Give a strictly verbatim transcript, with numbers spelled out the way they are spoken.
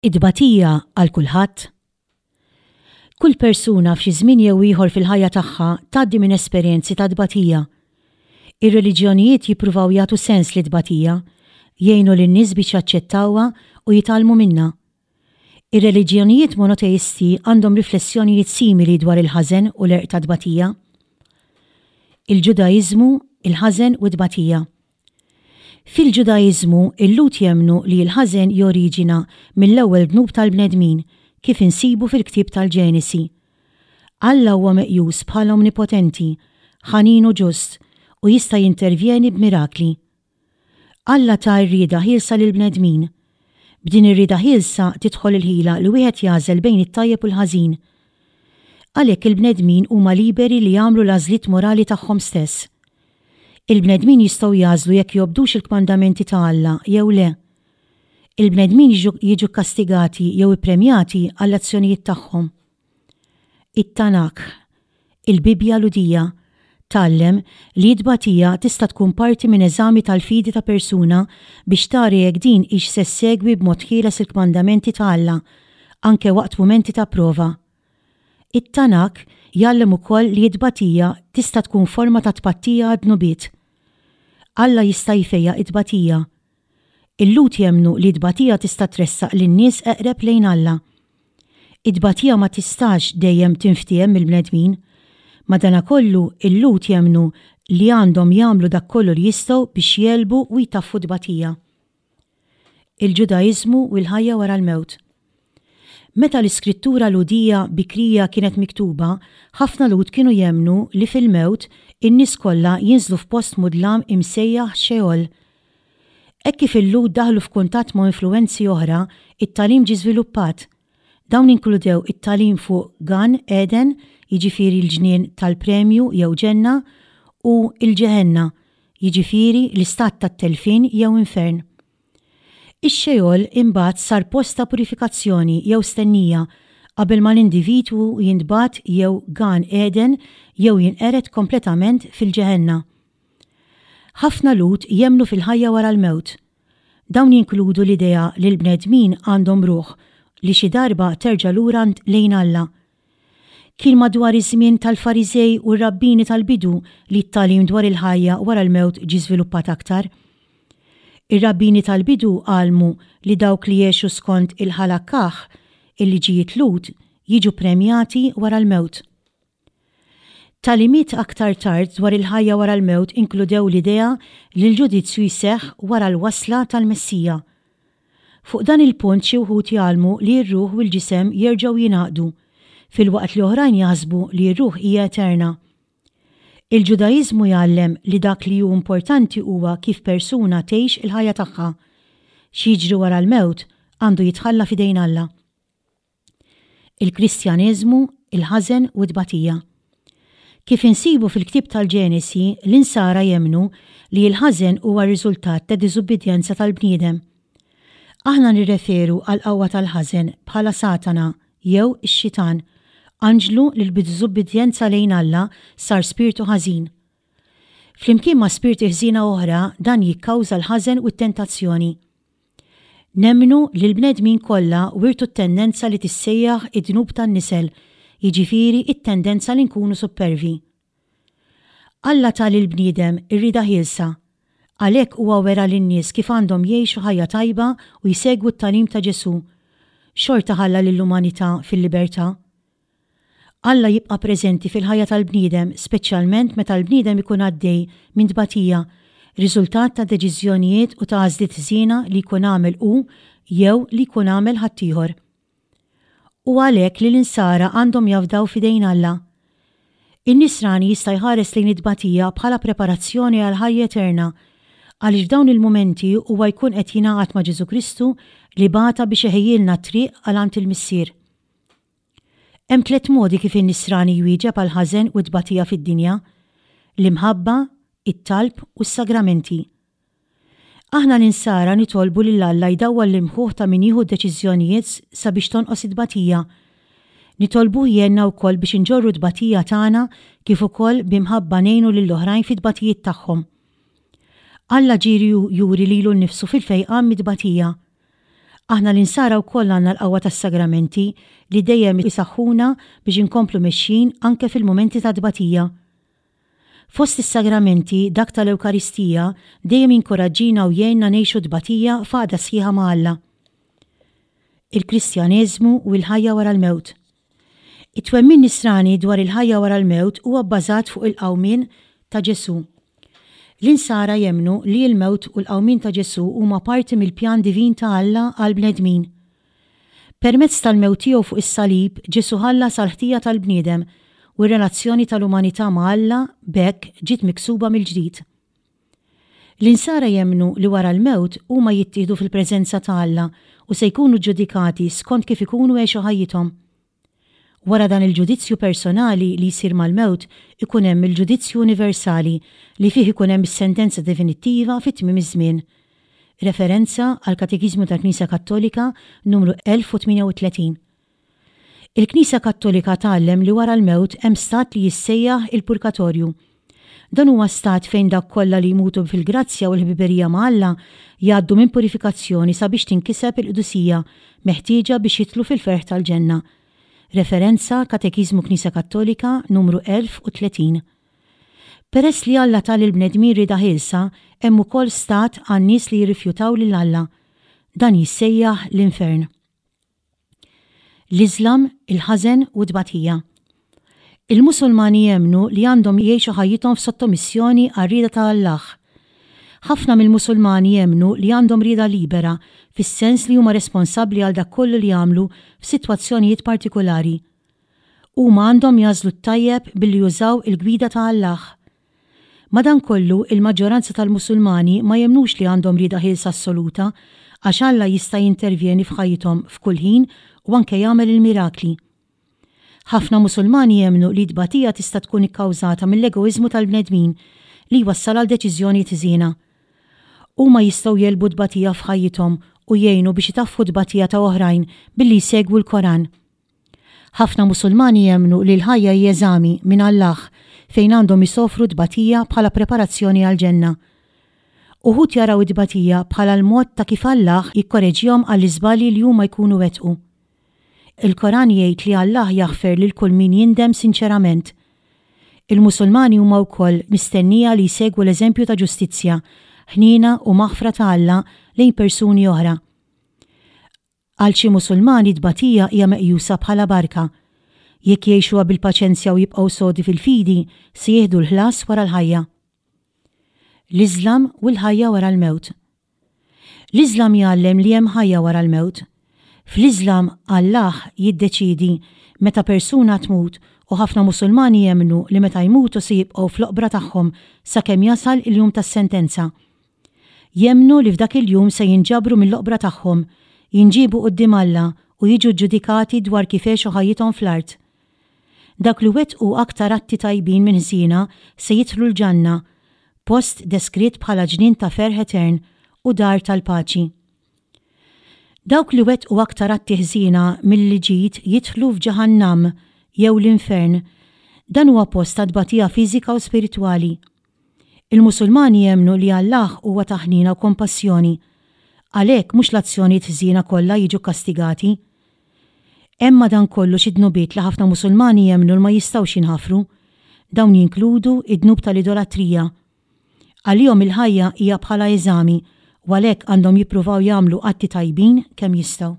It-tbatija għal kulħadd? Kull persuna f'xi żmien jew ieħor fil-ħajja tagħha tgħaddi minn esperjenzi ta' tbatija. Ir-reliġjonijiet jippruvaw jagħtu sens lit-tbatija, jgħinu lin-nies biex jaċċettawha u jitgħallmu minnha. Ir-reliġjonijiet monoteisti għandhom riflessjonijiet simili dwar il-ħażen u l-għerq tat-tbatija. Il-Ġudaiżmu, il-ħażen u t-tbatija. Fil-Ġudaiżmu, il-Lhud jemmnu li l-ħażen joriġina mill-ewwel dnub tal-bnedmin, kif insibu fil-ktieb tal-Ġenesi. Alla huwa meqjus bħala omnipotenti, ħanin u ġust, u jista' jintervjeni b'mirakli. Alla ta r-rieda ħielsa lill-bnedmin. B'din ir-rieda ħielsa tidħol il-ħila li wieħed jagħżel bejn it-tajjeb u l-ħażin. Għalhekk il-bnedmin huma liberi li jagħmlu l-għażliet morali tagħhom stess. Il-bnedmin jistgħu jagħżlu jekk jobdux il-kmandamenti ta' Alla jew le. Il-bnedmin jiġu kastigati jew ippremjati għall-azzjonijiet tagħhom. It-Tanakh, il-Bibbja Lhudija, tgħallem li t-tbatija tista' tkun parti minn eżami tal-fidi ta' persuna biex tara jekk din hix se ssegwi b'mod ħieles il-kmandamenti ta' Alla, anke waqt mumenti ta' prova. It-Tanakh jgħallem ukoll li t-tbatija tista' tkun forma ta' tpattija għad-dnubiet. Alla jista' jfejjaq it-tbatija. Il-Lhud jemmnu li t-tbatija tista' tressaq lin-nies eqreb lejn Alla. It-tbatija ma tistax dejjem tinftiehem mill-bnedmin. Madanakollu il-Lhud jemmnu li għandhom jagħmlu dak kollu li jistgħu biex jegħlbu u jtaffu t-tbatija. Il-Ġudaiżmu u l-ħajja wara l-mewt. Meta l-iskrittura Lhudija bikrija kienet miktuba, ħafna Lhud kienu jemmnu li fil-mewt in-nies kollha jinżlu f'post mudlam imsejjaħ Sheol. Hekk kif il-Lhud daħlu f'kuntatt ma' influwenzi oħra, it-tagħlim ġie żviluppat. Dawn inkludew it-tagħlim fuq Gan Eden, jiġifieri l-ġnien tal-premju jew ġenna, u l-Ġeħenna, jiġifieri l-istat tat-telfien jew infern. Ix-Sheol imbagħad sar post ta' purifikazzjoni jew stennija qabel ma l-individwu jintbagħat jew Gan Eden jew jinqered kompletament fil-Ġeħenna. Ħafna Lhud jemmnu fil-ħajja wara l-mewt. Dawn jinkludu l-idea li l-bnedmin għandhom ruħ li xi darba terġa' lura lejn Alla. Kien madwar iż-żmien tal-Fariżej u r-rabbini tal-bidu li t-tagħlim dwar il-ħajja wara l-mewt ġie żviluppat aktar. Ir-rabbini tal-bidu għallmu li dawk li jgħixu skont il-Ħalakah, il-liġijiet Lhud, jiġu premjati wara l-mewt. Tagħlimiet aktar tard dwar il-ħajja wara l-mewt inkludew l-idea li l-ġudizzju jseħħ wara l-wasla tal-Messija. Fuq dan il-punt xi wħud jgħallmu li r-ruħ u l-ġisem jerġgħu jingħaqdu, filwaqt li oħrajn jaħsbu li r-ruħ hija eterna. Il-Ġudaiżmu jgħallem li dak li hu importanti huwa kif persuna tgħix il-ħajja tagħha. X'jiġri wara l-mewt għandu jitħalla f'idejn Alla. Il-Kristjaneżmu, il-ħażen u t-tbatija. Kif insibu fil-ktieb tal-Ġenesi, l-insara jemmnu li l-ħażen huwa r-riżultat ta' diżubbidjenza tal-bniedem. Aħna nirreferu għall-qawwa tal-ħażen bħala Satana jew ix-xitan, anġlu li bid-diżubbidjenza lejn Alla sar spirtu ħażin. Flimkien ma' spirti ħżiena oħra dan jikkawża l-ħażen u t-tentazzjoni. Nemmnu li l-bnedmin kollha wirtu t-tendenza li tissejjaħ id-dnub tan-nisel, jiġifieri t-tendenza li nkunu suppervi. Alla ta lill-bniedem ir-rieda ħielsa. Għalhekk huwa wera lin-nies kif għandhom jgħixu ħajja tajba u jsegwu t-tagħlim ta' Ġesù. Xorta ħalla lill-umanità fil-libertà. Alla jibqa' preżenti fil-ħajja tal-bniedem, speċjalment meta l-bniedem ikun għaddej minn tbatija, riżultat ta' deċiżjonijiet u ta' għażliet ħżiena li jkun għamel hu jew li jkun għamel ħaddieħor. Hu għalhekk li l-insara għandhom jafdaw f'idejn Alla. In-nisrani jista' jħares lejn it-tbatija bħala preparazzjoni għal ħajja eterna, għaliex f'dawn il-mumenti huwa jkun qed jingħaqad ma' Ġesù Kristu li bata biex iħejjilna t-triq għal għand il-Missier. Hemm tliet modi kif in-nisrani jwieġeb għall-ħażen u t-tbatija fid-dinja, l-imħabba, it-talb u s-sagramenti. Aħna l-insara nitolbu lil Alla jdawwal l-imħuħ ta' min jieħu d-deċiżjonijiet sabiex tonqos it-tbatija. Nitolbuh jgħinna wkoll biex inġorru t-tbatija tagħna kif ukoll b'imħabba ngħinu lill-oħrajn fit-tbatijiet tagħhom. Alla ġieli juri lilu nnifsu fil-fejqan mit-tbatija. Aħna l-insara wkoll għandna l-qawwa tas-sagramenti li dejjem isaħħuna biex inkomplu mexjin anke fil-mumenti ta' tbatija. Fost is-sagramenti, dak tal-Ewkaristija dejjem jinkoraġġina u jgħinna ngħixu tbatija f'għaqda sħiħa ma' Alla. Il-Kristjaneżmu u l-ħajja wara l-mewt. It-twemmin nisrani dwar il-ħajja wara l-mewt huwa bbażat fuq il-qawmien ta' Ġesù. L-insara jemmnu li l-mewt u l-qawmien ta' Ġesù huma parti mill-pjan divin ta' Alla għall-bnedmin. Permezz tal-mewt tiegħu fuq is-salib, Ġesù ħallas għall-ħtija tal-bniedem u r-relazzjoni tal-umanità ma' Alla b'hekk ġiet miksuba mill-ġdid. L-insara jemmnu li wara l-mewt huma jittieħdu fil-preżenza ta' Alla u se jkunu ġudikati skont kif ikunu għexu ħajjithom. Wara dan il-ġudizzju personali li jsir mal-mewt ikun hemm il-ġudizzju universali li fih ikun hemm is-sentenza definittiva fi tmiem iż-żmien. Referenza għall-Katekiżmu tal-Knisja Kattolika numru elf u tmienja u tletin. Il-Knisja Kattolika tgħallem li wara l-mewt hemm stat li jissejjaħ il-purgatorju. Dan huwa stat fejn dawk kollha li jmutu fil-grazzja u l-ħbiberija ma' Alla jgħaddu minn purifikazzjoni sabiex tinkiseb il-qdusija meħtieġa biex jidħlu fil-ferħ tal-ġenna. Referenza Katekiżmu Knisja Kattolika numru elf u tletin. Peress li Alla ta lill-bnedmin rieda ħielsa, hemm ukoll stat għan-nies li jirrifjutaw lil Alla. Dan jissejjaħ l-infern. L-Iżlam, il-ħażen u t-tbatija. Il-Musulmani jemmnu li għandhom jgħixu ħajjithom f'sottomissjoni għar-rieda ta' Allah. Ħafna mill-Musulmani jemmnu li għandhom rieda libera, fis-sens li huma responsabbli għal dak kollu li jagħmlu f'sitwazzjonijiet partikolari. Huma għandhom jagħżlu t-tajjeb billi jużaw il-gwida ta' Allah. Madankollu, il-maġġoranza tal-Musulmani ma jemmnux li għandhom rieda ħielsa assoluta, għax Alla jista' jintervjeni f'ħajjithom f'kull ħin u anke jagħmel il-mirakli. Ħafna Musulmani jemmnu li t-tbatija tista' tkun ikkawżata mill-egoiżmu tal-bnedmin li jwassal għal deċiżjonijiet ħżiena. Huma jistgħu jegħlbu t-tbatija f'ħajjithom u jgħinu biex itaffu t-tbatija ta' oħrajn billi jsegwu l-Koran. Ħafna Musulmani jemmnu li l-ħajja hi eżami minn Allah fejn għandhom isofru tbatija bħala preparazzjoni għall-ġenna. Uħud jaraw it-tbatija bħala l-mod ta' kif Allah jikkoreġihom għall-iżbalji li huma jkunu wettqu. Il-Koran jgħid li Allah jaħfer lil kull min jindem sinċerament. Il-Musulmani huma wkoll mistennija li jsegwu l-eżempju ta' ġustizzja, ħniena u maħfra ta' Alla lejn persuni oħra. Għal xi Musulmani tbatija hija meqjusa bħala barka. Jekk jgħixuha bil-paċenzja u jibqgħu sodi fil-fidi, se jieħdu l-ħlas wara l-ħajja. L-Iżlam u l-ħajja wara l-mewt. L-Iżlam jgħallem li hemm ħajja wara l-mewt. Fl-Iżlam Allah jiddeċiedi meta persuna tmut u ħafna Musulmani jemmnu li meta jmutu se jibqgħu fl-oqbra tagħhom sakemm jasal il-jum tas-sentenza. Jemmnu li f'dak il-jum se jinġabru mill-oqbra tagħhom, jinġiebu quddiem Alla u jiġu ġudikati dwar kif għexu ħajjithom fl-art. Dak li wettqu aktar atti tajbin minn ħżiena se jidħlu l-ġanna, post deskritt bħala ġnien ta' ferħ etern u dar tal-paċi. Dawk li wettqu aktar atti ħżiena milli ġid jidħlu f'Ġahannam jew l-infern. Dan huwa post ta' tbatija fiżika u spiritwali. Il-Musulmani jemmnu li Allah huwa ta' ħniena u kompassjoni. Għalhekk mhux l-azzjonijiet ħżiena kollha jiġu kastigati. Hemm madankollu xi dnubiet li ħafna Musulmani jemmnu li ma jistgħux jinħafru. Dawn jinkludu id-dnub tal-idolatrija. Għalihom il-ħajja hija bħala eżami u għalhekk għandhom jippruvaw jagħmlu atti tajbin kemm jistgħu.